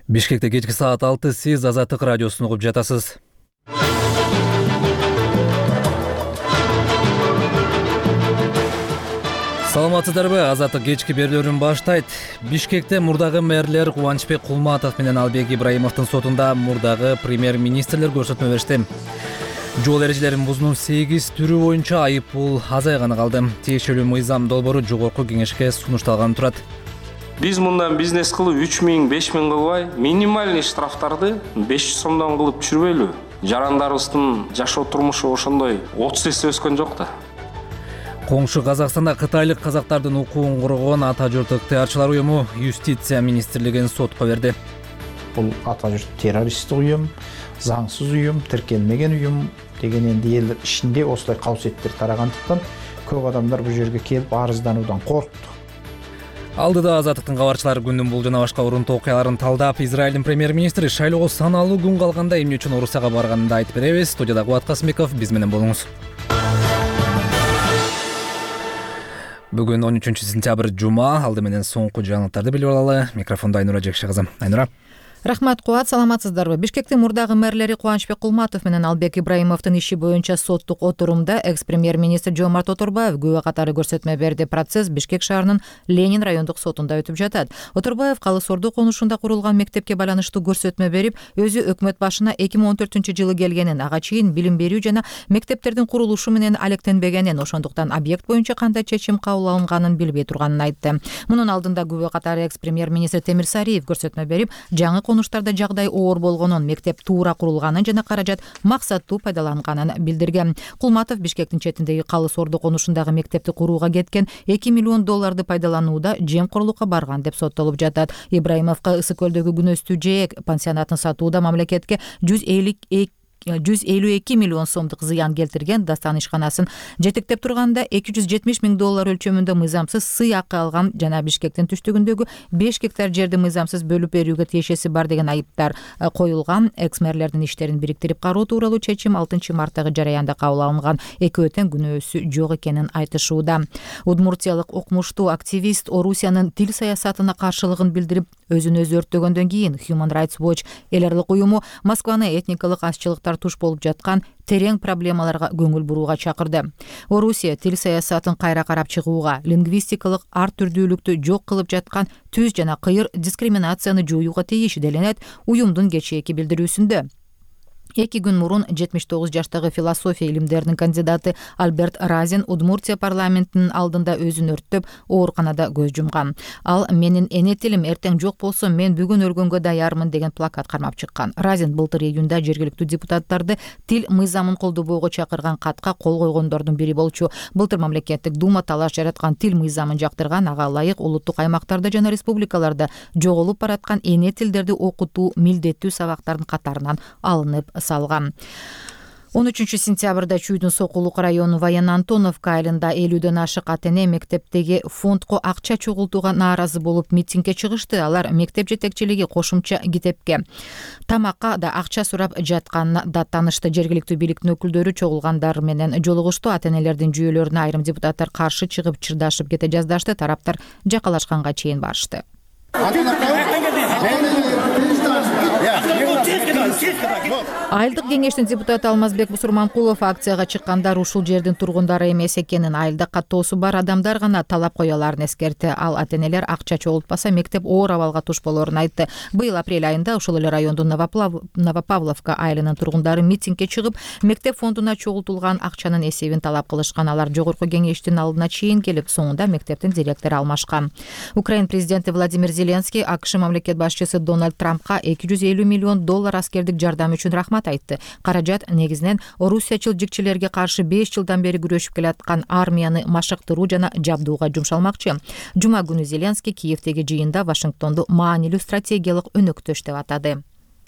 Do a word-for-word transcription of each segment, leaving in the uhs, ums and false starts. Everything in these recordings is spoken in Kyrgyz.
Бишкекте кечки саат алты, сиз Азаттык радиосун угуп жатасыз. Саламатсыздарбы? Азаттык кечки берүүлөрүн баштайт. Бишкекте мурдагы мэрлер Кубанычбек Кулматов менен Албек Ибраимовдун сотунда мурдагы премьер-министрлер көрсөтмө беришти. Жол эрежелерин бузуунун сегиз түрү боюнча айып пул азайганы калды. Тиешелүү мыйзам долбоору жогорку кеңешке сунушталганы турат. Биз мындан бизнес кылып үч миң, беш миң кылбай, минимальный штрафтарды беш жүз сомдон кылып түшүрбөйлү. Жарандарыбыздын жашоо турмушу ошондой отуз эсе өскөн жок да. Коңшу Казакстанда кытайлык казактардын укугун коргогон Ата журттук теарчылар уюму Юстиция министрлигин сотко берди. Бул Ата журт террористтик уюм, заңсыз уюм, тиркелмеген уюм деген энди эл ичинде осулай кабсеттер тарагандыктан көп адамдар бул жерге келип арыздануудан коркту. Алдыда Азаттыктын кабарчылары күндүн бул жана башка урунтуу окуяларын талдап, Израилдин премьер-министри шайлоого саналуу күн калганда эмне үчүн Орусияга барганын да айтып беребиз. Студияда Кубат Касымбеков, биз менен болуңуз. Бүгүн он үчүнчү сентябрь жума. Алды менен соңку жаңылыктарды билип алалы. Микрофондо Айнура Жекши кызы. Айнура. Рахмат, Кубат, саламатсыздарбы? Бишкектин мурдагы мэрлери Кубанычбек Кулматов менен Албек Ибраимовдун иши боюнча соттук отурумда экс-премьер-министр Жомарт Оторбаев күбө катары көрсөтмө берди. Процесс Бишкек шаарынын Ленин райондук сотунда өтүп жатат. Оторбаев Калыс Орду конушунда курулган мектепке байланыштуу көрсөтмө берип, өзү өкмөт башына эки миң он төртүнчү жылы келгенин, ага чейин билим берүү жана мектептердин курулушу менен алектенбегенин, ошондуктан объект боюнча кандай чечим кабыл алынганын билбей турганын айтты. Мунун алдында күбө катары экс-премьер-министр Темир Сариев көрсөтмө берип, жаңы конуштарда жагдай оор болгонун, мектеп туура курулганын жана каражат максаттуу пайдаланганын билдирген. Кулматов Бишкектин четиндеги Калыс Орду конушундагы мектепти курууга кеткен эки миллион долларды пайдаланууда жемкорлукка барган деп соттолуп жатат. Ибраимовго Ысык көлдөгү күнөстүү жээк пансионатын сатууда мамлекетке жүз элүү эки миллион сомдук зыян келтирген Дастан ишканасын жетектеп турганда эки жүз жетимиш миң доллар өлчөмүндө мыйзамсыз сый акы алган жана Бишкектин түштүгүндөгү беш гектар жерди мыйзамсыз бөлүп берүүгө тиешеси бар деген айыптар коюлган. Экс-мэрлердин иштерин бириктирип кароо тууралуу чечим алтынчы марттагы жараянда кабыл алынган. Экөө тең күнөөсү жок экенин айтышууда. Удмуртиялык укмуштуу активист Орусиянын тил саясатына каршылыгын билдирип, өзүн өзү өрттөгөндөн кийин Human Rights Watch эл аралык уюму Москваны этникалык азчылыктар туш болуп жаткан терең проблемаларга көңүл бурууга чакырды. Орусия тил саясатын кайра карап чыгууга, лингвистикалык ар түрдүүлүктү жок кылып жаткан түз жана кыйыр дискриминацияны жоюуга тийиш деленет уюмдун кечээки билдирүүсүндө. Эки күн мурун жетимиш тогуз жаштагы философия илимдеринин кандидаты Альберт Разин Удмуртия парламентинин алдында өзүн өрттөп, ооруканада көз жумган. Ал менин эне тилим эртең жок болсо мен бүгүн өлгөнгө даярмын деген плакат кармап чыккан. Разин былтыр июнда жергиликтүү депутаттарды тил мыйзамын колдобоого чакырган катка кол койгондордун бири болчу. Былтыр мамлекеттик дума талаш жараткан тил мыйзамын жактырган, ага ылайык улуттук аймактарда жана республикаларда жоголуп бараткан эне тилдерди окутуу милдеттүү сабактардын катарынан алынып салган. он үчүнчү сентябрда Чүйдүн Сокулук району Воен Антоновка айылында элүүдөн ашык ата-эне мектептеги фондко акча чогултууга нааразы болуп митингге чыгышты. Алар мектеп жетекчилиги кошумча китепке, тамакка да акча сурап жатканына да таанышты. Жергиликтүү бийликтин өкүлдөрү чогулгандар менен жолугушту. Ата-энелердин жүйөлөрүнө айрым депутаттар каршы чыгып чырдашып кете жаздашты. Тараптар жакалашканга чейин барышты. Айылдык кеңештин депутаты Алмазбек Бусурманкулов акцияга чыккандар ушул жердин тургундары эмес экенин, айылда каттоосу бар адамдар гана талап кояларын эскертти. Ал ата-энелер акча чогултпаса мектеп оор абалга туш болорун айтты. Быйыл апрель айында ушул эле райондун Новопавловка айылынын тургундары митингге чыгып, мектеп фондуна чогултулган акчанын эсебин талап кылышкан. Алар жогорку кеңештин алдына чейин келип, соңунда мектептин директору алмашкан. Украин президенти Владимир Зеленский АКШ мамлекет башчысы Дональд Трампка эки жүз элүү миллион доллар аскердик жардам үчүн рахмат айтты. Каражат негизинен орусиячыл жикчилерге каршы беш жылдан бери күрөшүп келаткан армияны машыктыруу жана жабдууга жумшалмакчы. Жума күнү Зеленский Киевдеги жыйында Вашингтонду маанилүү стратегиялык өнөктөш деп атады.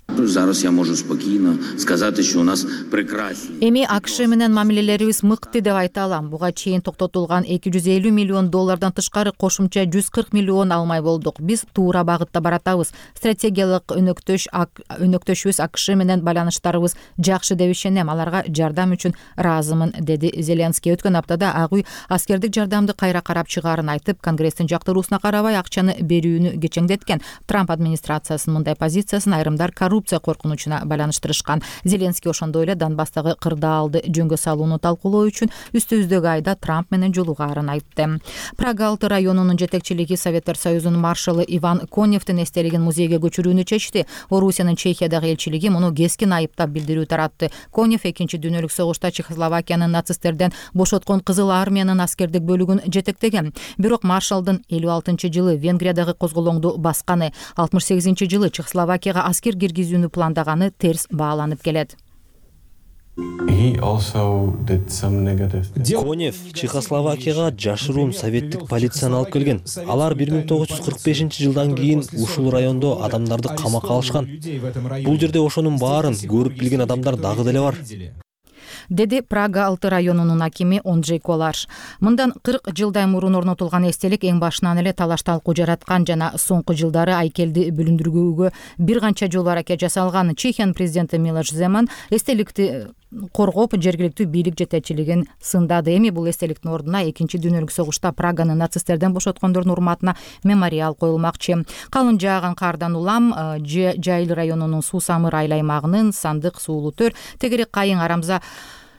Зараз я можу спокійно сказати, що у нас прекрасні. Эми АКШ менен мамилелерибиз мыкты деп айта алам. Буга чейин токтотулган эки жүз элүү миллион доллардан тышкары кошумча жүз кырк миллион алмай болдук. Биз туура багытта баратабыз. Стратегиялык өнөктөш өнөктөшүбүз АКШ менен байланыштарыбыз жакшы деп ишенем. Аларга жардам үчүн ыраазымын, деди Зеленский. Өткөн аптада Ак үй аскердик жардамды кайра карап чыгаарын айтып, Конгресстин жактыруусуна карабай акчаны берүүнү кечеңдеткен. Трамп администрациясынын мындай позициясын айрымдар коррупция коркунучуна байланыштырышкан. Зеленский ошондой эле Донбасстагы кырдаалды жөнгө салууну талкуулоо үчүн үстүбүздөгү айда Трамп менен жолугаарын айтты. Прага алты районунун жетекчилиги Советтер Союзунун маршалы Иван Коневдин эстелигин музейге көчүрүүнү чечти. Орусиянын Чехиядагы элчилиги муну кескин айыптап билдирүү таратты. Конев экинчи дүйнөлүк согушта Чехословакиянын нацисттерден бошоткон Кызыл армиянын аскердик бөлүгүн жетектеген. Бирок маршалдын элүү алтынчы жылы Венгриядагы козголоңду басканы, алтымыш сегизинчи жылы Чехословакияга аскер киргизүүнү пландаганы терс бааланып келет. Конев Чехословакияга жашыруун советтик полицияны алып келген. Алар бир миң тогуз жүз кырк бешинчи жылдан кийин ушул райондо адамдарды камакка алышкан. Бул жерде ошонун баарын көрүп билген адамдар дагы деле бар, деди Прага алты районунун акими Онджей Колаш. Мындан кырк жылдай мурун орнотулган эстелик эң башынан эле талаш талкуу жараткан жана соңку жылдары айкелди бүлүндүрүүгө бир канча жолу аракет жасалган. Чехиянын президенти Милош Земан эстеликти коргоп, жергиликтүү бийлик жетекчилигин сындады. Эми бул эстеликтин ордуна экинчи дүйнөлүк согушта Праганы нацисттерден бошоткондордун урматына мемориал коюлмакчы. Калың жааган кардан улам Жайыл районунун Суу Самыр айыл аймагынын Сандык, Суулуу Төр, Тегерек, Кайың, Арамза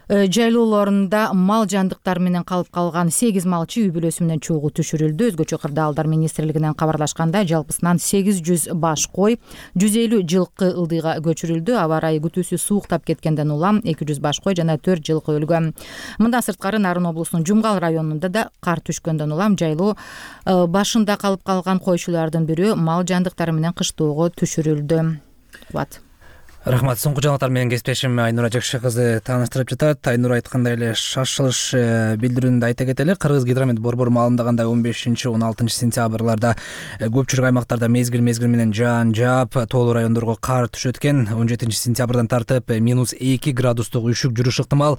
жайлоолорунда мал жандыктар менен калып калган сегиз малчы үй бүлөсү менен чогуу түшүрүлдү. Өзгөчө кырдаалдар министрлигинен кабарлашканда жалпысынан сегиз жүз баш кой, жүз элүү жылкы ылдыйга көчүрүлдү. Аба ырайы күтүүсү сууктап кеткенден улам эки жүз баш кой жана төрт жылкы өлгөн. Мындан сырткары Нарын облусунун Жумгал районунда да кар түшкөндөн улам жайлоо башында калып калган койчулардын бирөө мал жандыктары менен кыштоого түшүрүлдү. Кубат. Рахмат. Соңку жаңалыктар менен кесиптешим Айнура Жакшы кызы тааныштырып жатат. Айнура айткандай эле шашылыш билдирүүнү айта кетели. Кыргыз гидромет борбору маалымдагандай он бешинчи он алтынчы сентябрларда көпчүлүк аймактарда мезгил мезгил менен жаан жаап, тоолуу райондорго кар түшөт экен. он жетинчи сентябрдан тартып минус эки градустук үшүк жүрүшү ыктымал.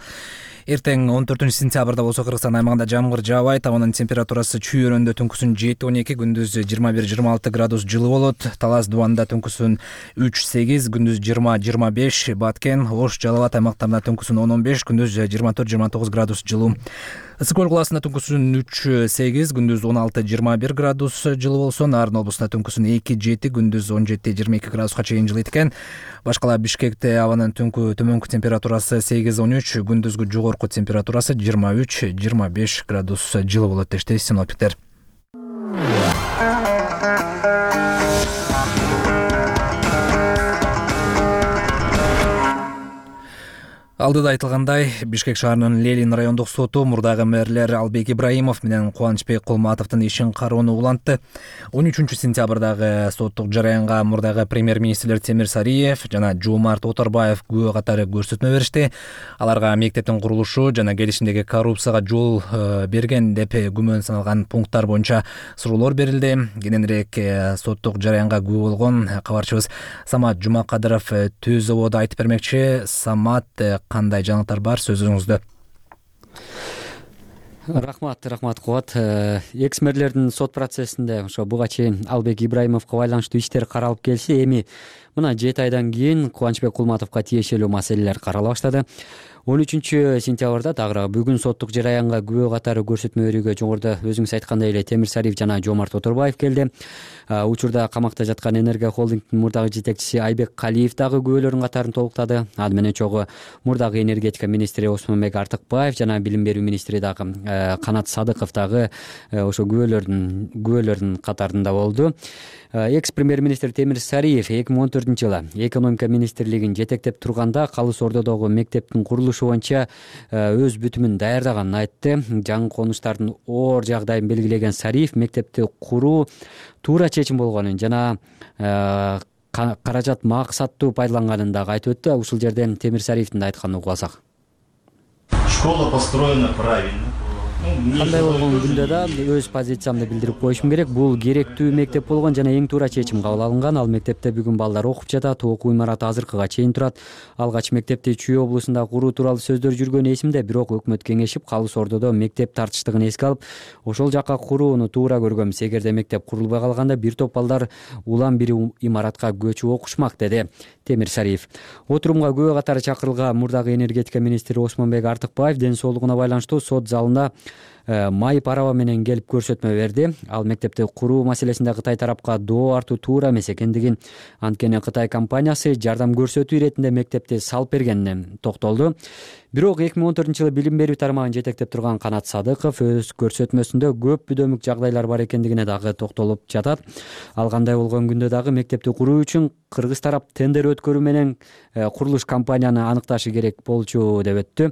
Эртең он төртүнчү сентябрда болсо Кыргызстан аймагында жамгыр жаабайт. Абанын температурасы чүйөрөндө түнкүсүн жети он эки, күндүз жыйырма бир жыйырма алты градус жылы болот. Талас Дубанда түнкүсүн үч сегиз, күндүз жыйырма жыйырма беш, Баткен, Ош, Жалал Абад аймактарында түнкүсүн он он беш, күндүз жыйырма төрт жыйырма тогуз градус жылуу. Ысык көл каласында түнкүсүн үч сегиз, күндүз он алты жыйырма бир градус жылы болсо, Нарын облусунда түнкүсүн эки жети, күндүз он жети жыйырма эки градуска чейин жылыйт экен. Башкала Бишкекте абанын түнкү төмөнкү температурасы сегиз он үч, күндүзгү жогорку температурасы жыйырма үч жыйырма беш градус жылы болот дешти синоптиктер. Алдыда айтылгандай, Бишкек шаарынын Ленин райондук соту мурдагы мэрлер Албек Ибраимов менен Кубанычбек Кулматовдун ишин кароону улантты. он үчүнчү сентябрдагы соттук жараянга мурдагы премьер-министрлер Темир Сариев жана Жомарт Оторбаев күбө катары көрсөтмө беришти. Аларга мектептин курулушу жана келишимдеги коррупцияга жол берген деп күмөн саналган пункттар боюнча суроолор берилди. Кененирээк соттук жараянга күбө болгон кабарчыбыз Самат Жумакадыров Төз ободо айтып бермекчи. Самат, кандай жаңылыктар бар, сөзүңүздө? Рахмат, рахмат Кубат. Экс-мэрлердин сот процессинде ошо буга чейин Албек Ибраимовго байланыштуу иштер каралып келсе, эми мына жети айдан кийин Кубанычбек Кулматовго тиешелүү маселелер карала баштады. он үчүнчү сентябрда дагы бүгүн соттук жараянга күбө катары көрсөтмө берүүгө жогоруда өзүңүз айткандай эле Темир Сариев жана Жомарт Оторбаев келди. Учурда камакта жаткан Энергия холдингдин мурдагы жетекчиси Айбек Калиев дагы күбөлөрдүн катарын толуктады. Аны менен чогуу мурдагы энергетика министри Осмонбек Артыкбаев жана билим берүү министри дагы Канат Садыков дагы ошо күбөлөрдүн күбөлөрдүн катарында болду. Экс-премьер-министр Темир Сариев эки миң он төртүнчү жылы экономика министрлигин жетектеп турганда Калыс Ордодогу мектептин курулушу боюнча өз бүтүмүн даярдаганын айтты. Жаңы конуштардын оор жагдайын белгилеген Сариев мектепти куруу туура чечим болгонун жана каражат максаттуу пайдаланганын дагы айтып өттү. Ушул жерден Темир Сариевдин айтканын угуп алсак. Школа построена правильно. кандай болгон күндө да өз позициямды билдирип коюшум керек. Бул керектүү мектеп болгон жана эң туура чечим кабыл алынган. Ал мектепте бүгүн балдар окуп жатат. Окуу имараты азыркыга чейин турат. Алгач мектепти Чүй облусунда куруу тууралуу сөздөр жүргөн эсимде, бирок өкмөт кеңешип Калыс Ордодо мектеп тартыштыгын эске алып, ошол жакка курууну туура көргөмүз. Эгерде мектеп курулбай калганда бир топ балдар улам бир имаратка көчүп окушмак, деди Темир Сариев. Отурумга күбө катары чакырылган мурдагы энергетика министри Осмонбек Артыкбаев ден соолугуна байланыштуу сот залында майып араба менен келип көрсөтмө берди. Ал мектепти куруу маселесинде Кытай тарапка доо артуу туура эмес экендигин, анткени Кытай компаниясы жардам көрсөтүү иретинде мектепти салып бергенине токтолду. Бирок эки миң он төртүнчү жылы билим берүү тармагын жетектеп турган Канат Садыков өз көрсөтмөсүндө көп бүдөмүк жагдайлар бар экендигине дагы токтолуп жатат. Ал кандай болгон күндө дагы мектепти куруу үчүн кыргыз тарап тендер өткөрүү менен курулуш компанияны аныкташы керек болчу деп өттү.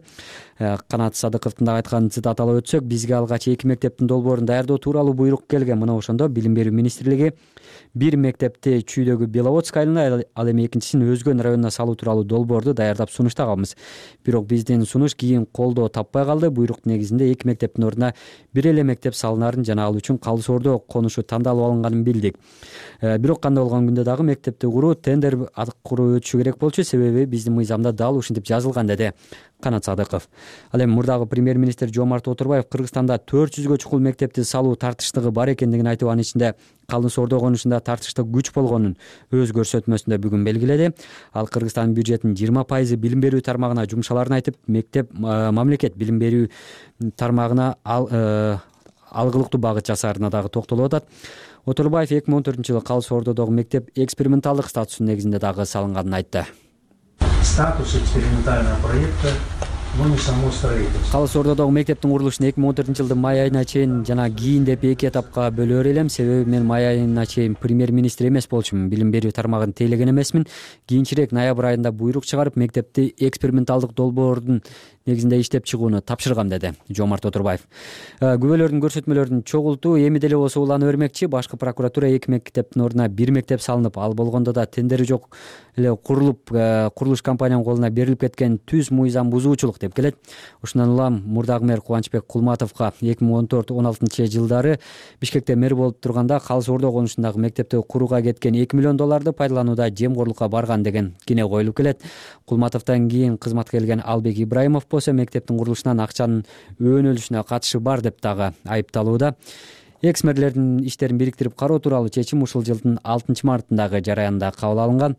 Канат Садыковдун дагы айтканын цитаталап өтсөк, бизге алгач эки мектептин долбоорун даярдоо тууралуу буйрук келген. Мына ошондо билим берүү министрлиги бир мектепти Чүйдөгү Беловодск айылына, ал эми экинчисин Өзгөн районуна салуу тууралуу долбоорду даярдап сунуштаганбыз. Бирок биздин сунуш кийин колдоо таппай калды. Буйрук негизинде эки мектептин ордуна бир эле мектеп салынарын жана ал үчүн Калыс Ордо конушу тандалып алынганын билдик. Бирок кандай болгон күндө дагы мектепти куруу тендер аркылуу өтүшү керек болчу, себеби биздин мыйзамда дал ушинтип жазылган, деди Канат Садыков. Ал эми мурдагы премьер-министр Жомарт Отурбаев Кыргызстанда төрт жүзгө чукул мектепти салуу тартыштыгы бар экендигин айтып, анын ичинде Калыс Ордо конушунда тартыштык күч болгонун өз көрсөтмөсүндө бүгүн белгиледи. Ал Кыргызстандын бюджетинин жыйырма пайызы билим берүү тармагына жумшаларын айтып, мектеп мамлекет билим берүү тармагына ал алгылыктуу багыт жасаарына дагы токтолуп атат. Отурбаев эки миң он төртүнчү жылы Калыс Ордодогу мектеп эксперименталдык статусунун негизинде дагы салынганын айтты. Статус экспериментального проекта но не само строительство. Калыс Ордодогу мектептин курулушун эки миң он төртүнчү жылдын май айына чейин жана кийин деп эки этапка бөлөр элем. Себеби мен май айына чейин премьер-министр эмес болчумун, билим берүү тармагын тейлеген эмесмин. Кийинчерээк ноябрь айында буйрук чыгарып, мектепти эксперименталдык долбоордун негизинде иштеп чыгууну тапшыргам, деди Жомарт Отурбаев. Күбөлөрдүн көрсөтмөлөрүн чогултуу эми деле болсо уланып бермекчи. Башкы прокуратура эки мектептин ордуна бир мектеп салынып, ал болгондо да тендери жок эле курулуп, курулуш компаниянын колуна берилип кеткен түз мыйзам бузуучулук деп келет. Ошондон улам мурдагы мэр Кубанычбек Кулматовго эки миң он төрт он алтынчы жылдары Бишкекте мэр болуп турганда Калыс Ордо конушундагы мектепти курууга кеткен эки миллион долларды пайдаланууда жемгорлукка барган деген кине коюлуп келет. Кулматовдон кийин кызматка келген Албек Ибраимов болсо мектептин курулушунан акчанын өөнөлүшүнө катышы бар деп дагы айыпталууда. Экс-мэрлердин иштерин бириктирип кароо тууралуу чечим ушул жылдын алтынчы мартындагы жараянда кабыл алынган.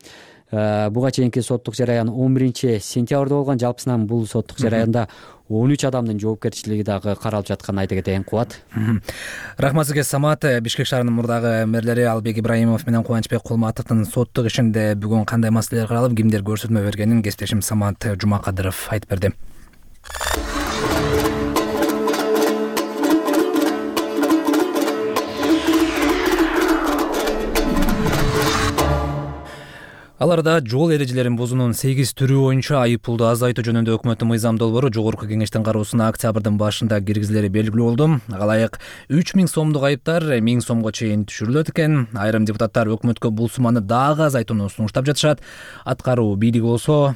Буга чейинки соттук жараян он биринчи сентябрда болгон. Жалпысынан бул соттук жараянда он үч адамдын жоопкерчилиги дагы каралып жатканын айта кетейин. Кубат. Рахмат сизге, Самат. Бишкек шаарынын мурдагы мэрлери Албек Ибраимов менен Кубанычбек Кулматовдун соттук ишинде бүгүн кандай маселелер каралып, кимдер көрсөтмө бергенин кесиптешим Самат Жумакадыров айтып берди. Аларда жол эрежелерин бузуунун сегиз түрү боюнча айыппулду азайтуу жөнүндө өкмөттүн мыйзам долбоору жогорку кеңештин кароосуна октябрдын башында киргизилери белгилүү болду. Алайык үч миң сомдук айыптар миң сомго чейин түшүрүлөт экен. Айрым депутаттар өкмөткө бул сумманы дагы азайтууну сунуштап жатышат. Аткаруу бийлиги болсо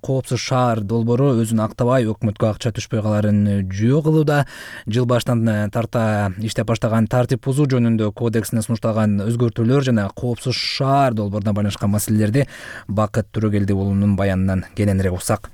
коопсуз шаар долбоору өзүн актабай өкмөткө акча түшпөй каларын жөө кылууда. Жыл башынан тарта иштеп баштаган тартип бузуу жөнүндө кодексине сунушталган өзгөртүүлөр жана коопсуз шаар долбооруна байланышкан маселелерди Бакыт Түрөгелди уулунун баянынан кененирээк уксак.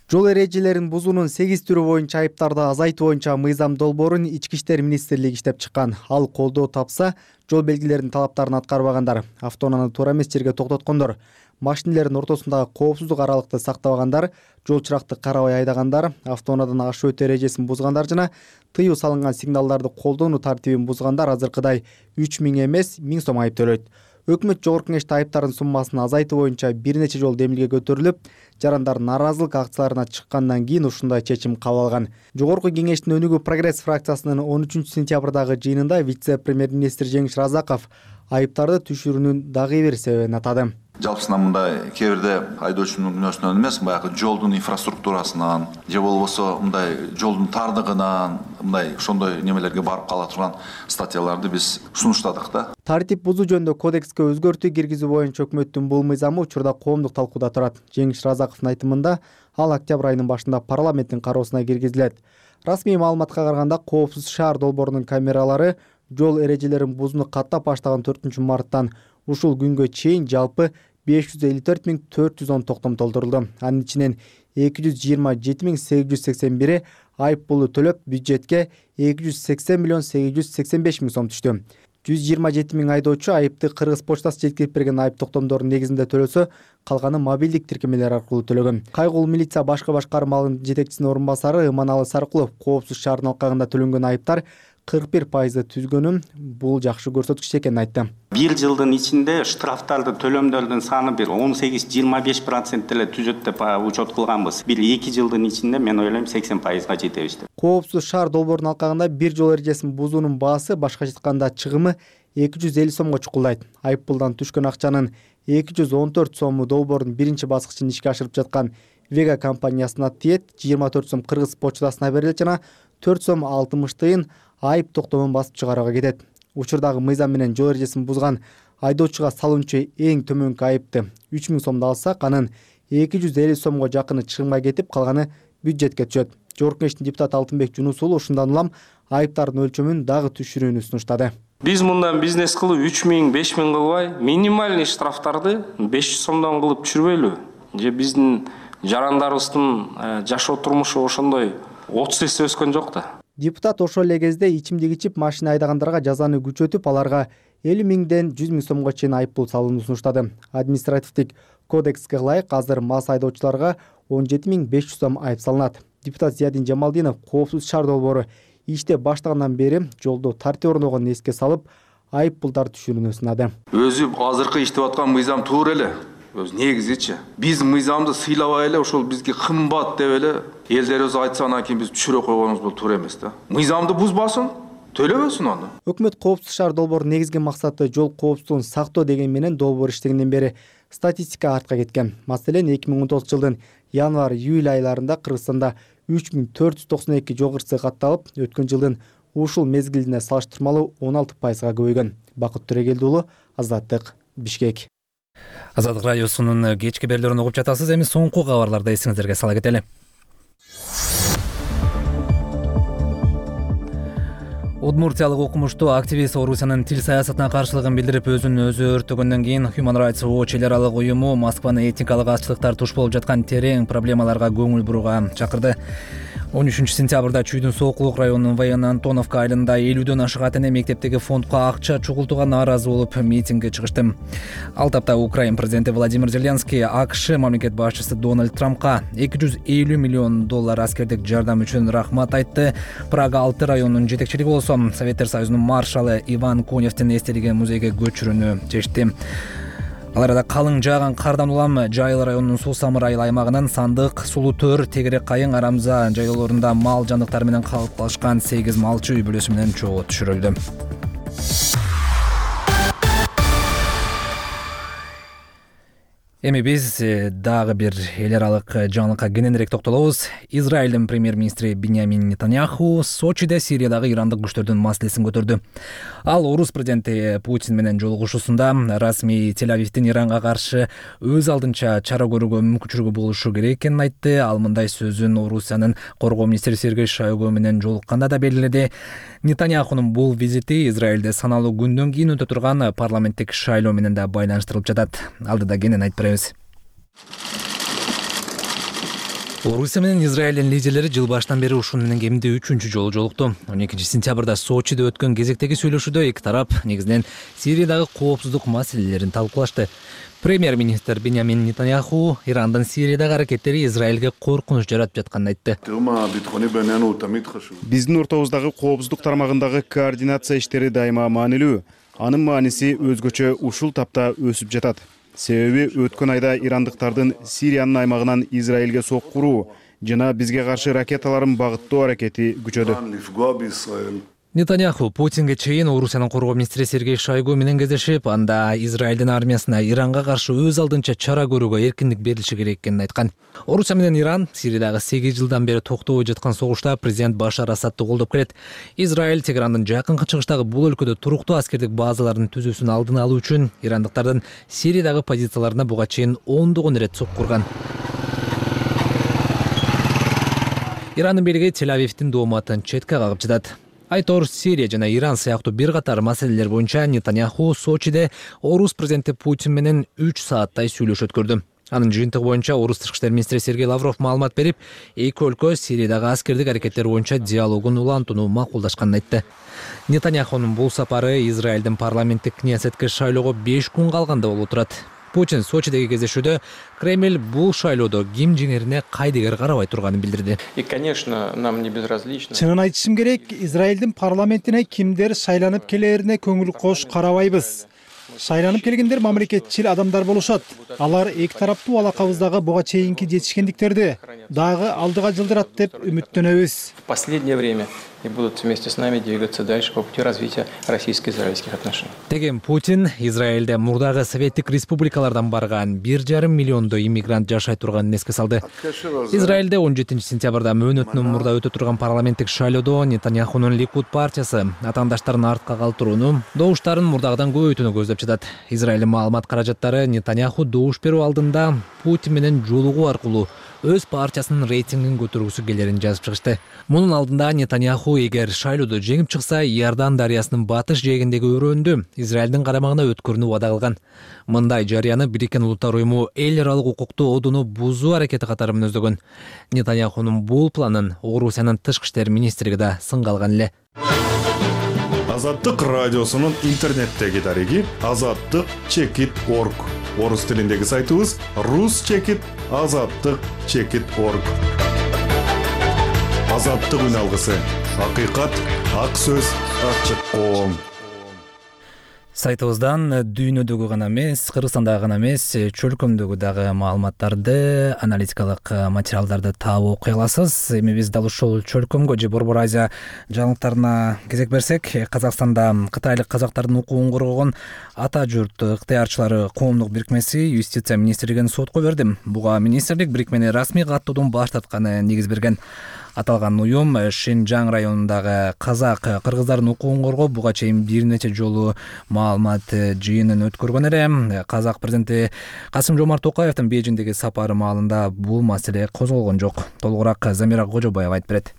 Жол эрежелерин бузуунун сегиз түрү боюнча айыптарды азайтуу боюнча мыйзам долбоорун Ички иштер министрлиги иштеп чыккан. Ал колдоо тапса, жол белгилеринин талаптарын аткарбагандар, автоунааны туура эмес жерге токтоткондор, машинелердин ортосундагы коопсуздук аралыкты сактабагандар, жол чыракты карабай айдагандар, автоунаадан ашуу өтүү эрежесин бузгандар жана тыюу салынган сигналдарды колдонуу тартибин бузгандар азыркыдай үч миң эмес миң сом айып төлөйт. Өкмөт жогорку кеңеште айыптардын суммасын азайтуу боюнча бир нече жолу демилге көтөрүлүп, жарандар нааразылык акцияларына чыккандан кийин ушундай чечим кабыл алган. Жогорку кеңештин өнүгүү прогресс фракциясынын он үчүнчү сентябрдагы жыйынында вице-премьер-министр Жеңиш Разаков айыптарды түшүрүүнүн дагы бир себебин атады. жалпысынан мындай кээ бирде айдоочунун күнөөсүнөн эмес, баягы жолдун инфраструктурасынан же болбосо мындай жолдун тардыгынан мындай ошондой немелерге барып кала турган статьяларды биз сунуштадык да. Тартип бузуу жөнүндө кодекске өзгөртүү киргизүү боюнча өкмөттүн бул мыйзамы учурда коомдук талкууда турат. Жеңиш Разаковдун айтымында ал октябрь айынын башында парламенттин кароосуна киргизилет. Расмий маалыматка караганда Коопсуз шаар долбоорунун камералары жол эрежелерин бузууну каттап баштаган төртүнчү марттан ушул күнгө чейин жалпы беш жүз элүү төрт миң төрт жүз он токтом толтурулду. Анын ичинен эки жүз жыйырма жети миң сегиз жүз сексен бири айып пулу төлөп, бюджетке эки жүз сексен миллион сегиз жүз сексен беш миң сом түштү. жүз жыйырма жети миң айдоочу айыпты Кыргыз почтасы жеткирип берген айып токтомдордун негизинде төлөсө, калганы мобилдик тиркемелер аркылуу төлөгөн. Кайгулуу милиция башкы башкармалыгынын жетекчисинин орун басары Иманалы Саркулов Коопсуз шаарынын алкагында төлөнгөн айыптар кырк бир пайызды түзгөнүн бул жакшы көрсөткүч экенин айтты. Бир жылдын ичинде штрафтарды төлөмдөрдүн саны бир он сегиз жыйырма беш процент эле түзөт деп учет кылганбыз. Бир эки жылдын ичинде мен ойлойм сексен пайызга жетебиз деп. Коопсуз шаар долбоорунун алкагында бир жол эрежесин бузуунун баасы, башкача айтканда чыгымы эки жүз элүү сомго чукулдайт. Айып пулдан түшкөн акчанын эки жүз он төрт сому долбоордун биринчи баскычын ишке ашырып жаткан Вега компаниясына тиет, жыйырма төрт сом Кыргыз почтасына берилет жана төрт сом алтымыш тыйын айып токтомун басып чыгарууга кетет. Учурдагы мыйзам менен жол эрежесин бузган айдоочуга салынчу эң төмөнкү айыпты үч миң сомду алсак, анын эки жүз элүү сомго жакыны чыгымга кетип, калганы бюджетке түшөт. Жогорку Кеңештин депутаты Алтынбек Жунус уулу ушундан улам айыптардын өлчөмүн дагы түшүрүүнү сунуштады. Биз мындан бизнес кылып үч миң беш миң кылбай, минимальный штрафтарды беш жүз сомдон кылып түшүрбөйлү? Же биздин жарандарыбыздын жашоо турмушу ошондой отуз эсе өскөн жок да. Депутат ошол эле кезде ичимдик ичип машина айдагандарга жазаны күчөтүп, аларга элүү миңден жүз миң сомго чейин айып пул салууну сунуштады. Административдик кодекске ылайык азыр мас айдоочуларга он жети миң беш жүз сом айып салынат. Депутат Зиядин Жамалдинов Коопсуз шаар долбоору иштеп баштагандан бери жолдо тартип орногонун эске салып, айып пулдар түшүрүүнү сунады. Өзү азыркы иштеп аткан мыйзам туура эле. Өз негизичи. Биз мыйзамды сыйлабай эле ошол бизге кымбат деп эле элдерибиз айтса, анан кийин биз түшүрө койгонубуз бул туура эмес да. Мыйзамды бузбасын, төлөбөсүн аны. Өкмөт Коопсуз шаар долбоорунун негизги максаты жол коопсуздугун сактоо деген менен долбоор иштегенден бери статистика артка кеткен. Маселен, эки миң он тогузунчу жылдын январь-июль айларында Кыргызстанда үч миң төрт жүз токсон эки жол кырсыгы катталып, өткөн жылдын ушул мезгилине салыштырмалуу он алты пайызга көбөйгөн. Бакыт Төрегелди уулу, Азаттык, Бишкек. Азаттык радиосунун кечки берүүлөрүн угуп жатасыз. Эми соңку кабарларды эсиңиздерге сала кетели. Удмуртиялык окумуштуу активист Орусиянын тил саясатына каршылыгын билдирип, өзүн өзү өрттөгөндөн кийин Human Rights Watch эл аралык уюму Москваны этникалык азчылыктар туш болуп жаткан терең проблемаларга көңүл бурууга чакырды. он үчүнчү сентябрда Чүйдүн Сокулук районунун Военно Антоновка айылында элүүдөн ашык ата эне мектептеги фондко акча чогултууга нааразы болуп митингге чыгышты. Ал тапта Украина президенти Владимир Зеленский АКШ мамлекет башчысы Дональд Трампка эки жүз элүү миллион доллар аскердик жардам үчүн рахмат айтты. Прага алты районунун жетекчилиги болсо Советтер Союзунун маршалы Иван Коневдин эстелиги музейге көчүрүүнү чечти. Ал арада калың жааган кардан улам Жайыл районунун Суу Самыр айыл аймагынан Сандык, Сулуу Төр, Тегерек Кайың, Арамза жайлоолорунда мал жандыктары менен калыпташкан сегиз малчы үй бүлөсү менен чогуу түшүрүлдү. Эми биз дагы бир эл аралык жаңылыкка кененирээк токтолобуз. Израилдин премьер-министри Биньямин Нетаньяху Сочиде Сириядагы ирандык күчтөрдүн маселесин көтөрдү. Ал орус президенти Путин менен жолугушуусунда расмий Тель-Авивдин Иранга каршы өз алдынча чара көрүүгө мүмкүнчүлүгү болушу керек экенин айтты. Ал мындай сөзүн Орусиянын коргоо министри Сергей Шойгу менен жолукканда да белгиледи. Нетаньяхунун бул визити Израилде саналуу күндөн кийин өтө турган парламенттик шайлоо менен да байланыштырылып жатат. Алдыда кенен айтып беребиз. Орусия менен Израилдин лидерлери жыл башынан бери ушун менен кеминде үчүнчү жолу жолукту. он экинчи сентябрда Сочиде өткөн кезектеги сүйлөшүүдө эки тарап негизинен Сириядагы коопсуздук маселелерин талкуулашты. Премьер-министр Биньямин Нетаньяху Ирандын Сириядагы аракеттери Израилге коркунуч жаратып жатканын айтты. Биздин ортобуздагы коопсуздук тармагындагы координация иштери дайыма маанилүү. Анын мааниси өзгөчө ушул тапта өсүп жатат. Себеби өткөн айда ирандыктардын Сириянын аймагынан Израилге соккуруу жана бизге каршы ракеталарын багыттоо аракети күчөдү. Нетаньяху Путинге чейин Орусиянын коргоо министри Сергей Шойгу менен кездешип, анда Израилдин армиясына Иранга каршы өз алдынча чара көрүүгө эркиндик берилиши керек экенин айткан. Орусия менен Иран Сириядагы сегиз жылдан бери токтобой жаткан согушта президент Башар Асадты колдоп келет. Израиль Теграндын жакынкы чыгыштагы бул өлкөдө туруктуу аскердик базаларын түзүүсүн алдын алуу үчүн ирандыктардын Сириядагы позицияларына буга чейин ондогон ирет соккурган. Ирандын бийлиги Тель-Авивдин дооматын четке кагып жатат. Айтор Сирия жана Иран сыяктуу бир катар маселелер боюнча Нетаньяху Сочиде Орус президенти Путин менен үч сааттай сүйлөшүү өткөрдү. Анын жыйынтыгы боюнча Орус тышкы иштер министри Сергей Лавров маалымат берип, эки өлкө Сириядагы аскердик аракеттер боюнча диалогун улантууну макулдашканын айтты. Нетаньяхунун бул сапары Израилдин парламенттик кнессетке шайлоого беш күн калганда болуп турат. Путин Сочидеги кездешүүдө Кремль бул шайлоодо ким жеңерине кайдыгер карабай турганын билдирди. И, конечно, нам не безразлично. Чынын айтышым керек, Израилдин парламентине кимдер шайланып келерине көңүл кош карабайбыз. Шайланып келгендер мамлекетчил адамдар болушат. Алар эки тараптуу алакабыздагы буга чейинки жетишкендиктерди дагы алдыга жылдырат деп үмүттөнөбүз. В последнее время и будут вместе с нами двигаться дальше по пути развития российско-израильских отношений. Деген Путин Израилде мурдагы советтик республикалардан барган бир жарым миллиондой иммигрант жашай турганын эске салды. Израилде он жетинчи сентябрда мөөнөтүнөн мурда өтө турган парламенттик шайлоодо Нетаньяхунун Ликуд партиясы атаандаштарын артка калтырууну, добуштарын мурдагыдан көбөйтүүнү көздөп жатат. Израилдин маалымат каражаттары Нетаньяху добуш берүү алдында Путин менен жолугуу аркылуу өз партиясынын рейтингин көтөргүсү келерин жазып чыгышты. Мунун алдында Нетаньяху эгер шайлоодо жеңип чыкса, Иордан дарыясынын батыш жээгиндеги өрөөндү Израилдин карамагына өткөрүүнү убада кылган. Мындай жарыяны Бириккен Улуттар уюму эл аралык укукту одуну бузуу аракети катары мүнөздөгөн. Нетаньяхунун бул планын Орусиянын тышкы иштер министрлиги да сынга алган эле. Азаттык радиосунун интернеттеги дареги азаттык чекит точка орг. Орус тилиндеги сайтыбыз рус чекит азаттык чекит точка орг. Азаттык үн алгысы. Акыйкат, ак сөз, ачык коом. Сайтыбыздан дүйнөдөгү гана эмес, Кыргызстандагы гана эмес, чөлкөмдөгү дагы маалыматтарды, аналитикалык материалдарды таап окуй аласыз. Эми биз дал ушул чөлкөмгө же Борбор Азия жаңылыктарына кезек берсек, Казакстанда кытайлык казактардын укугун коргогон Ата журт ыктыярчылары коомдук бирикмеси юстиция министрлигин сотко берди. Буга министрлик бирикмени расмий каттоодон баш тартканы негиз берген. Аталган уюм Шинжаң районундагы казак кыргыздардын укугун коргоп, буга чейин бир нече жолу маалымат жыйынын өткөргөн эле. Казак президенти Касым-Жомарт Токаевдин Бейжиңдеги сапары маалында бул маселе козголгон жок. Толугураак Замира Кожобаева айтып берет.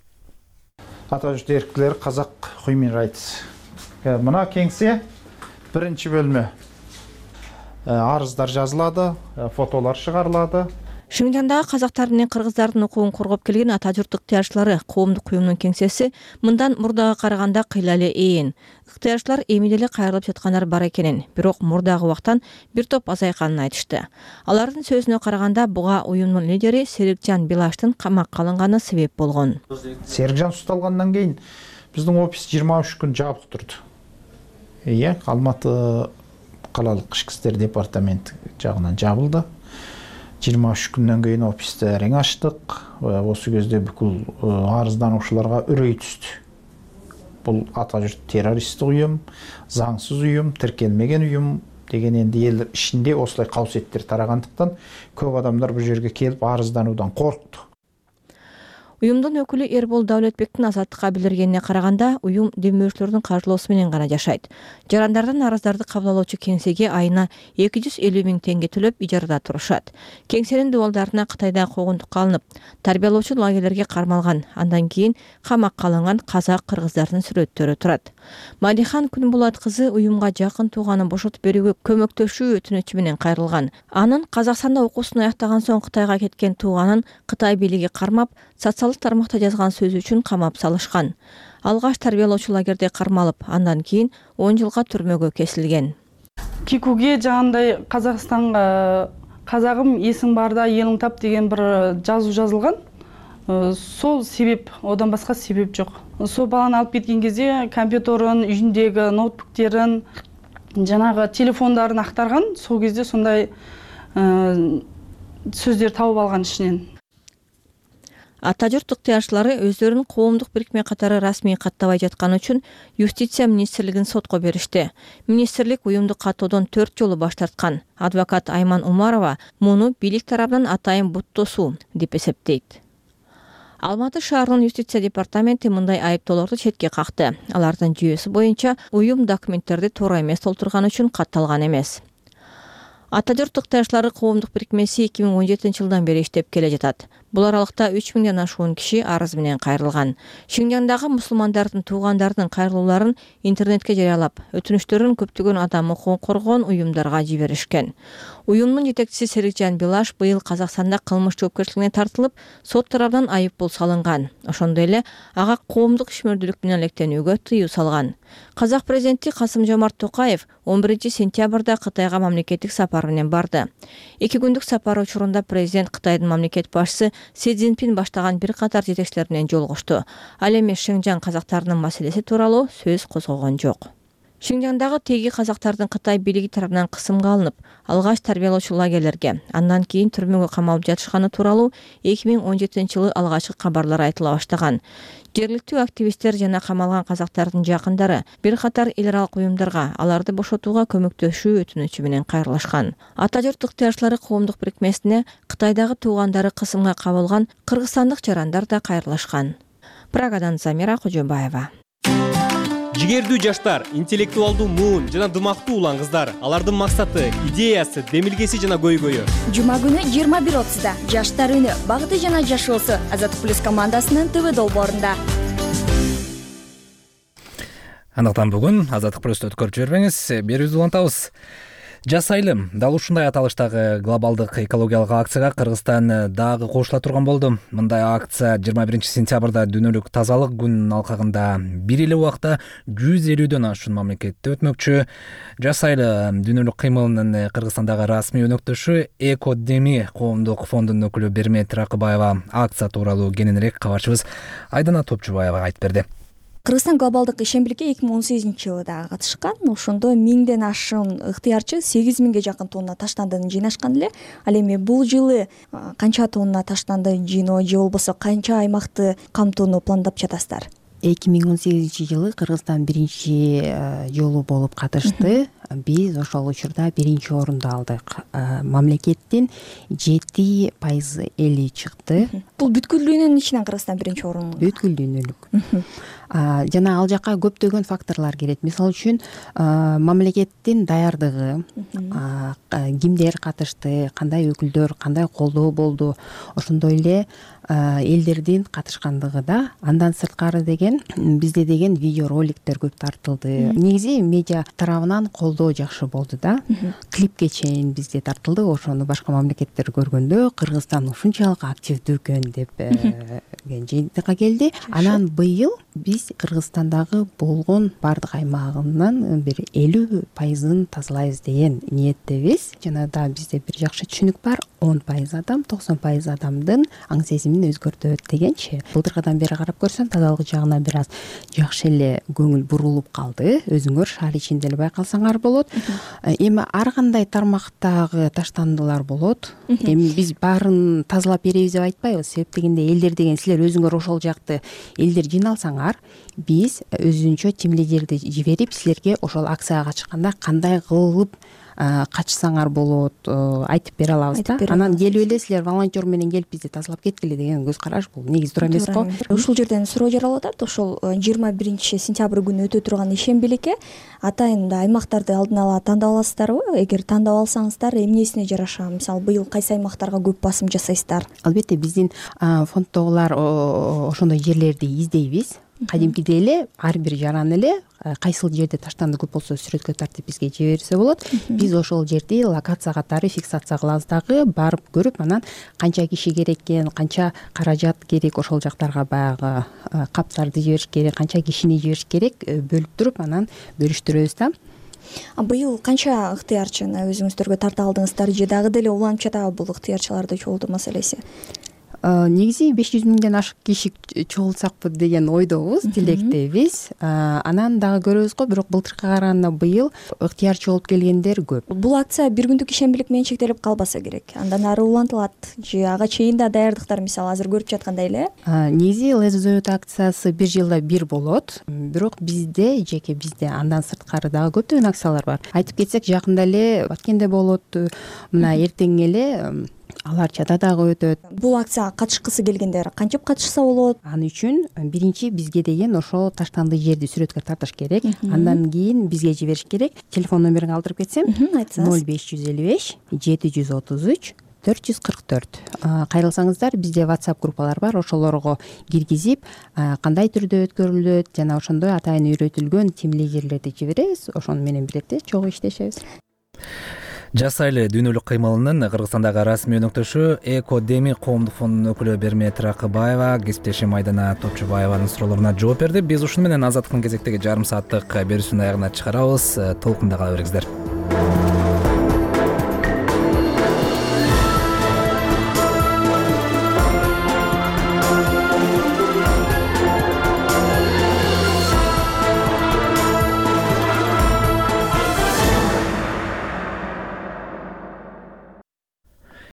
Ата журт эркирлери казак Human Rights. Мына кеңсе биринчи бөлмө. Арыздар жазылады, фотолор чыгарылады. Шинжаңдагы казактар менен кыргыздардын укугун коргоп келген Ата журт ыктыярчылары коомдук уюмунун кеңсеси мындан мурдага караганда кыйла эле ээн. Ыктыярчылар эми деле кайрылып жаткандар бар экенин, бирок мурдагы убактан бир топ азайганын айтышты. Алардын сөзүнө караганда буга уюмдун лидери Серикжан Билаштын камакка алынганы себеп болгон. Серикжан укталгандан кийин биздин офис жыйырма үч күн жабык турду. Иә, Алматы калалык ички иштер департаменти жагынан жабылды. жыйырма үч күндөн кийин офисти эрең ачтык. Осы кезде бүкүл арыздануучуларга үрөй түстү. Бул Ата журт террористтик уюм, заңсыз уюм, тиркелмеген уюм деген энди эл ичинде осулай кабсеттер тарагандыктан көп адамдар бул жерге келип арыздануудан коркту. Уюмдун өкүлү Эрбол Даулетбектин Азаттыкка билдиргенине караганда, уюм демөөрчүлөрдүн каржылоосу менен гана жашайт. Жарандардан арыздарды кабыл алуучу кеңсеге айына эки жүз элүү миң теңге төлөп ижарада турушат. Кеңсенин дубалдарына Кытайда куугунтукка алынып, тарбиялоочу лагерлерге кармалган, андан кийин камакка алынган казак кыргыздардын сүрөттөрү турат. Малихан Күнбулат кызы уюмга жакын тууганын бошотуп берүүгө көмөктөшүү өтүнүчү менен кайрылган. Анын Казакстанда окуусун аяктаган соң Кытайга кеткен тууганын Кытай бийлиги кармап, социалдык тармакта жазган сөзү үчүн камап салышкан. Алгаш тарбиялоочу лагерде кармалып, андан кийин он жылга түрмөгө кесилген. Кикуге жагандай Казакстанга казагым эсиң барда элиң тап деген бир жазуу жазылган. Сол себеп, одан башка себеп жок. Сол баланы алып кеткен кезде компьютерин, үйүндөгү ноутбуктерин, жанагы телефондарын актарган. Сол кезде сондай сөздөр табып алган ичинен. ата журт ыктыярчылары өздөрүн коомдук бирикме катары расмий каттабай жатканы үчүн юстиция министрлигин сотко беришти. Министрлик уюмду каттоодон төрт жолу баш тарткан. Адвокат Айман Умарова муну бийлик тарабынан атайын буттосуу деп эсептейт. Алматы шаарынын юстиция департаменти мындай айыптоолорду четке какты. Алардын жүйөсү боюнча уюм документтерди туура эмес толтурган үчүн катталган эмес. Ата журт ыктыярчылары коомдук бирикмеси эки миң он жетинчи жылдан бери иштеп келе жатат. Бул аралыкта үч миңден ашуун киши арыз менен кайрылган. Шинжаңдагы мусулмандардын туугандарынын кайрылууларын интернетке жарыялап, өтүнүштөрүн көптөгөн адам укугун коргогон уюмдарга жиберишкен. Уюмдун жетекчиси Серикжан Билаш быйыл Казакстанда кылмыш жоопкерчилигине тартылып, сот тарабынан айып пул салынган. Ошондой эле ага коомдук ишмердүүлүк менен алектенүүгө тыюу салган. Казак президенти Касым-Жомарт Токаев он биринчи сентябрда Кытайга мамлекеттик сапар менен барды. Эки күндүк сапар учурунда президент Кытайдын мамлекет башчысы Си Цзиньпин баштаган бир катар жетекчилер менен жолугушту. Ал эми Шинжаң казактарынын маселеси тууралуу сөз козгогон жок. Шинжаңдагы теги казактардын Кытай бийлиги тарабынан кысымга алынып, алгач тарбиялоочу лагерлерге, андан кийин түрмөгө камалып жатышканы тууралуу эки миң он жетинчи жылы алгачкы кабарлар айтыла баштаган. Жергиликтүү активисттер жана камалган казактардын жакындары бир катар эл аралык уюмдарга аларды бошотууга көмөктөшүү өтүнүчү менен кайрылышкан. Ата журт ыктыярчылары коомдук бирикмесине Кытайдагы туугандары кысымга кабылган кыргызстандык жарандар да кайрылышкан. Прагадан Замира Кожобаева. Жигердүү жаштар, интеллектуалдуу муун жана дымактуу улан кыздар. Алардын максаты, идеясы, демилгеси жана көйгөйү. Жума күнү жыйырма бир отузда Жаштар үнү багыты жана жашоосу Азаттык плюс командасынын ТВ долбоорунда. Андыктан бүгүн Азаттык плюсту өткөрүп жибербеңиз, берүүбүздү улантабыз. Жаз айылым дал ушундай аталыштагы глобалдык экологиялык акцияга Кыргызстан дагы кошула турган болду. Мындай акция жыйырма биринчи сентябрда дүйнөлүк тазалык күнүнүн алкагында бир эле убакта жүз элүүдөн ашуун мамлекетте өтмөкчү. Жаз айылы дүйнөлүк кыймылынын Кыргызстандагы расмий өнөктөшү Экодеми коомдук фондунун өкүлү Бермет Ракыбаева акция тууралуу кененирээк кабарчыбыз Айдана Топчубаева айтып берди. Кыргызстан глобалдык ишембирикке эки миң он сегизинчи жылы дагы катышкан. Ошондо миңден ашуун ыктыярчы сегиз миңге жакын тонна таштандыны жыйнашкан эле. Ал эми бул жылы канча тонна таштанды жыйноо же болбосо канча аймакты камтууну пландап жатасыздар? эки миң он сегизинчи жылы Кыргызстан биринчи жолу болуп катышты. Биз ошол учурда биринчи орунду алдык. Мамлекеттин жети пайызы эли чыкты. Бул бүткүл дүйнөнүн ичинен Кыргызстан биринчи орун. Бүткүл дүйнөлүк. Жана ал жака көптөгөн факторлор кирет. Мисалы үчүн мамлекеттин даярдыгы, кимдер катышты, кандай өкүлдөр, кандай колдоо болду, ошондой эле элдердин катышкандыгы да. Андан сырткары деген бизде деген видео роликтер көп тартылды. Негизи медиа тарабынан колдоо жакшы болду да. Клипке чейин бизде тартылды. Ошону башка мамлекеттер көргөндө Кыргызстан ушунчалык активдүү экен деп жыйынтыкка келди. Анан быйыл биз Кыргызстандагы болгон бардык аймагынан бир элүү пайызын тазалайбыз деген ниеттебиз. Жана да бизде бир жакшы түшүнүк бар. он пайыз адам, токсон пайыз адамдын аң сезимин өзгөртөт дегенчи. Былтыркыдан бери карап көрсөм, тазалык жагына бир аз жакшы эле көңүл бурулуп калды. Өзүңөр шаар ичинде эле байкалсаңар болот. Эми ар кандай тармактагы таштандылар болот. Эми биз баарын тазалап беребиз деп айтпайбыз. Себеп дегенде элдер деген силер өзүңөр ошол жакты элдер жыйналсаңар, биз өзүнчө тим лидерди жиберип силерге ошол акцияга чыкканда кандай кылып качсаңар болот айтып бере алабыз да. Анан келип эле силер волонтер менен келип бизди тазалап кеткиле деген көз караш бул негизи туура эмеспи? Ушул жерден суроо жаралып атат. Ошол жыйырма биринчи сентябрь күнү өтө турган ишембиликке атайын аймактарды алдын ала тандап аласыздарбы? Эгер тандап алсаңыздар, эмнесине жараша? Мисалы, быйыл кайсы аймактарга көп басым жасайсыздар? Албетте биздин фонддогулар ошондой жерлерди издейбиз. Кадимкидей эле ар бир жаран эле кайсыл жерде таштанды көп болсо сүрөткө тартып бизге жиберсе болот. Биз ошол жерди локация катары фиксация кылабыз дагы, барып көрүп, анан канча киши керек экен, канча каражат керек, ошол жактарга баягы каптарды жибериш керек, канча кишини жибериш керек, бөлүп туруп анан бөлүштүрөбүз да. Быйыл канча ыктыярчыны өзүңүздөргө тарта алдыңыздар же дагы деле уланып жатабы бул ыктыярчыларды чогултуу маселеси? негизи беш жүз миңден ашык киши чогултсакпы деген ойдобуз, тилектебиз. Анан дагы көрөбүз го, бирок былтыркыга караганда быйыл ыктыярчы болуп келгендер көп. Бул акция бир күндүк ишембилик менен чектелип калбаса керек. Андан ары улантылат же ага чейин да даярдыктар мисалы азыр көрүп жаткандай эле? Негизи Let's Do It акциясы бир жылда бир болот. Бирок бизде, жеке бизде андан сырткары дагы көптөгөн акциялар бар. Айтып кетсек, жакында эле Баткенде болот, мына эртең эле Алар Чатадагы өтөт. Бул акцияга катышкысы келгендер кантип катышса болот? Аны үчүн биринчи бизге деген ошо таштанды жерди сүрөткө тартыш керек. Андан кийин бизге жибериш керек. Телефон номерин калтырып кетсем, ноль беш жүз элүү беш жети жүз отуз үч төрт жүз кырк төрт. Кайрылсаңыздар, бизде WhatsApp группалар бар, ошолорго киргизип, кандай түрдө өткөрүлөт жана ошондой атайын үйрөтүлгөн тим лидерлерди жиберебиз. Ошону менен бирдикте чогуу иштешебиз. Жасайлы дүйнөлүк кыймылынын Кыргызстандагы расмий өнөктөшү Экодеми коомдук фондунун өкүлү Бермет Ракыбаева кесиптешим Айдана Топчубаеванын суроолоруна жооп берди. Биз ушуну менен Азаттыктын кезектеги жарым сааттык берүүсүнүн аягына чыгарабыз. Толкунда кала бериңиздер.